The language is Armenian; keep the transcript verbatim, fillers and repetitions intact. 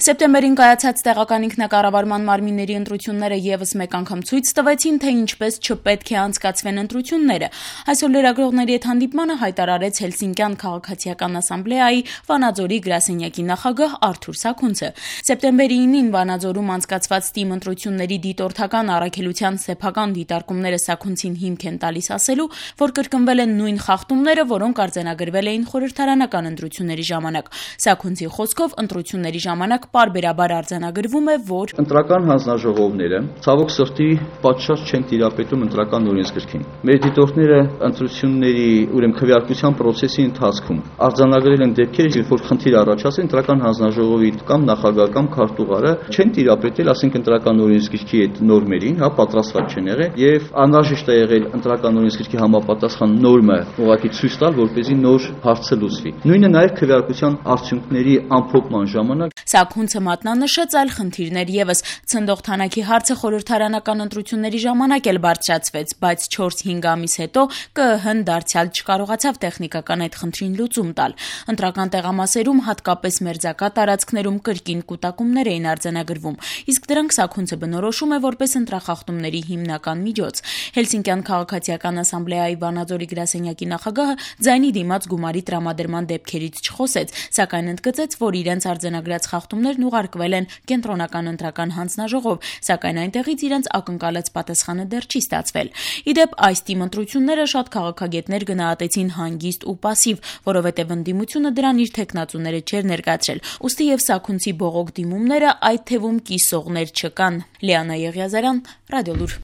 Սեպտեմբերին կայացած տեղական ինքնակառավարման մարմինների ընտրությունները ևս մեկ անգամ ցույց տվեցին, թե ինչպես չպետք է անցկացվեն ընտրությունները։ Այսօր լրագրողների հետ հանդիպմանը հայտարարեց Հելսինկյան քաղաքացիական ասամբլեայի Վանաձորի գրասենյակի նախագահ Արթուր Սաքունցը։ Սեպտեմբերի ինին Վանաձորում անցկացված ՏԻՄ ընտրությունների դիտորդական առաքելության սեփական դիտարկումները Սաքունցին հիմք են տալիս ասելու, որ կրկնվել են նույն խախտումները, որոնք արձանագրվել էին խորհրդարանական ընտրությունների ժամանակ։ Սաքունցի խոսքով ընտրությունների ժամանակ պարբերաբար արձանագրվում է, որ ընտրական հանձնաժողովները ցավոք սրտի պատշաճ չեն տիրապետում ընտրական օրենսգրքին։ Մեր դիտորդները ընտրությունների ուրեմն քվեարկության process-ի ընթացքում արձանագրել են դեպքեր, երբ որ խնդիր առաջացել ընտրական հանձնաժողովի կամ նախագահ կամ քարտուղարը չեն տիրապետել, ասենք ընտրական օրենսգրքի այդ նորմերին, հա, պատրաստված չեն եղել եւ անհրաժեշտ է եղել ընտրական օրենսգրքի համապատասխան նորմը ուղղակի ցույց տալ, որպեսզի նոր հարցը լուծվի։ Նույնը նաեւ քվեարկության արդյունքների ամփոփման ժամանակ Սաքունցը մատնանշեց այլ խնդիրներ ևս։ Ցնդող թանաքի հարցը խորհրդարանական ընտրությունների ժամանակ էլ բարձրացվեց, բայց չորս-հինգ ամիս հետո ԿԸՀ-ն դարձյալ չկարողացավ տեխնիկական այդ խնդրին լուծում տալ։ Ընտրական տեղամասերում, հատկապես մերձակա տարածքներում կրկին կուտակումներ էին արձանագրվում, իսկ դրանք Սաքունցը բնորոշում է որպես ընտրախախտումների հիմնական միջոց։ Հելսինկյան քաղաքացիական ասամբլեայի Վանաձորի գրասենյակի նախագահը ձայնի դիմաց գումարի տրամադրման դեպքերից չխոսեց, սակայն ընդգծեց, որ իրենց արձանագրած խախտումներն ուղարկվել են կենտրոնական ընտրական հանձնաժողով, սակայն այնտեղից իրենց ակնկալած պատասխանը դեռ չի ստացվել։ Իդեպ այս ՏԻՄ ընտրությունները շատ քաղաքագետներ գնահատեցին հանգիստ ու պասիվ, որովհետև ընդդիմությունը դրան իր թեկնածուները չէր ներկայացրել։ Ուստի եւ Սաքունցի բողոք դիմումները այդ թվում կիսողներ չկան։ Լիանա Եղիազարյան, Ռադիոլուր։